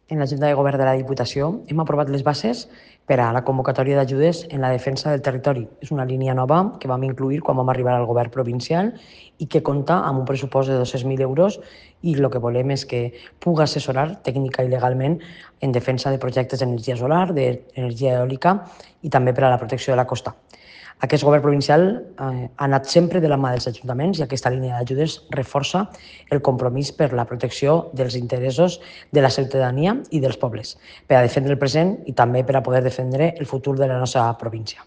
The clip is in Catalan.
en la Junta de Govern de la Diputació hem aprovat les bases per a la convocatòria d'ajudes en la defensa del territori. És una línia nova que vam incluir quan vam arribar al govern provincial i que compta amb un pressupost de 200.000 euros i el que volem és que pugui assessorar tècnica i legalment en defensa de projectes d'energia solar, d'energia eòlica i també per a la protecció de la costa. Aquest govern provincial ha anat sempre de la mà dels ajuntaments i aquesta línia d'ajudes reforça el compromís per la protecció dels interessos de la ciutadania i dels pobles, per a defendre el present i també per a poder defendre el futur de la nostra província.